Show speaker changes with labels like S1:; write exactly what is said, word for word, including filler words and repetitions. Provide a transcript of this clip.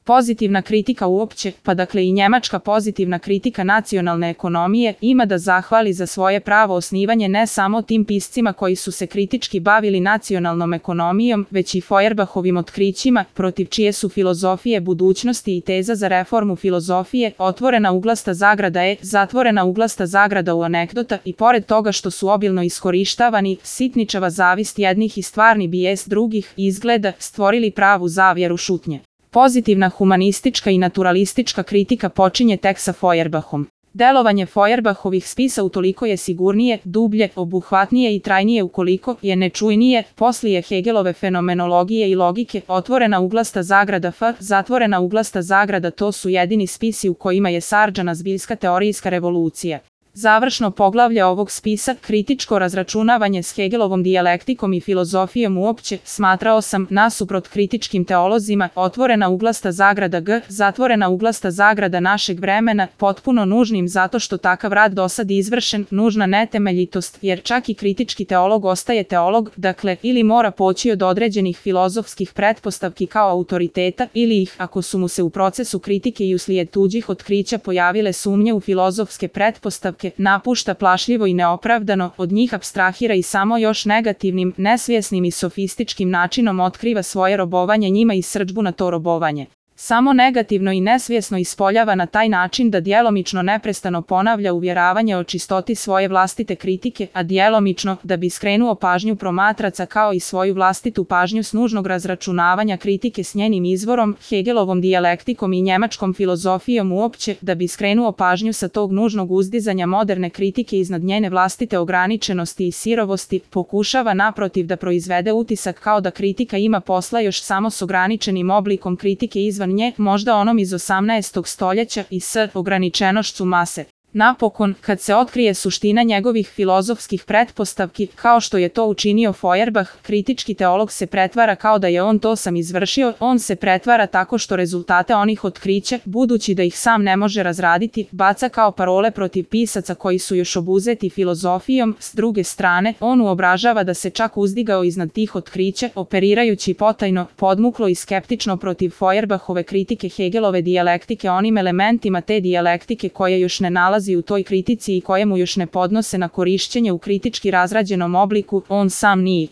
S1: Pozitivna kritika uopće, pa dakle i njemačka pozitivna kritika nacionalne ekonomije, ima da zahvali za svoje pravo osnivanje ne samo tim piscima koji su se kritički bavili nacionalnom ekonomijom, već i Feuerbahovim otkrićima, protiv čije su filozofije budućnosti i teza za reformu filozofije, otvorena uglasta zagrada e, zatvorena uglasta zagrada u anegdota, i pored toga što su obilno iskorištavani, sitničava zavist jednih i stvarni bijes drugih, izgleda, stvorili pravu zavjeru šutnje. Pozitivna humanistička i naturalistička kritika počinje tek sa Feuerbachom. Delovanje Feuerbahovih spisa utoliko je sigurnije, dublje, obuhvatnije i trajnije ukoliko je nečujnije, poslije Hegelove fenomenologije i logike, otvorena uglasta zagrada f, zatvorena uglasta zagrada, to su jedini spisi u kojima je sarđana zbiljska teorijska revolucija. Završno poglavlje ovog spisa, kritičko razračunavanje s Hegelovom dijalektikom i filozofijom uopće, smatrao sam, nasuprot kritičkim teolozima, otvorena uglasta zagrada g, zatvorena uglasta zagrada našeg vremena, potpuno nužnim zato što takav rad dosad izvršen, nužna netemeljitost, jer čak i kritički teolog ostaje teolog, dakle, ili mora poći od određenih filozofskih pretpostavki kao autoriteta, ili ih, ako su mu se u procesu kritike i uslijed tuđih otkrića pojavile sumnje u filozofske pretpostavke, napušta plašljivo i neopravdano, od njih apstrahira i samo još negativnim, nesvjesnim i sofističkim načinom otkriva svoje robovanje njima i srdžbu na to robovanje. Samo negativno i nesvjesno ispoljava na taj način da djelomično neprestano ponavlja uvjeravanje o čistoti svoje vlastite kritike, a djelomično, da bi skrenuo pažnju promatraca kao i svoju vlastitu pažnju s nužnog razračunavanja kritike s njenim izvorom, Hegelovom dijalektikom i njemačkom filozofijom uopće, da bi skrenuo pažnju sa tog nužnog uzdizanja moderne kritike iznad njene vlastite ograničenosti i sirovosti, pokušava naprotiv da proizvede utisak kao da kritika ima posla još samo s ograničenim oblikom kritike izvan nje, možda onom iz osamnaestog stoljeća i s ograničenošću mase. Napokon, kad se otkrije suština njegovih filozofskih pretpostavki, kao što je to učinio Feuerbach, kritički teolog se pretvara kao da je on to sam izvršio, on se pretvara tako što rezultate onih otkrića, budući da ih sam ne može razraditi, baca kao parole protiv pisaca koji su još obuzeti filozofijom, s druge strane, on uobražava da se čak uzdigao iznad tih otkrića, operirajući potajno, podmuklo i skeptično protiv Feuerbachove kritike Hegelove dijalektike onim elementima te dijalektike koje još ne nalazi u toj kritici i koje mu još ne podnose na korišćenje u kritički razrađenom obliku, on sam nije.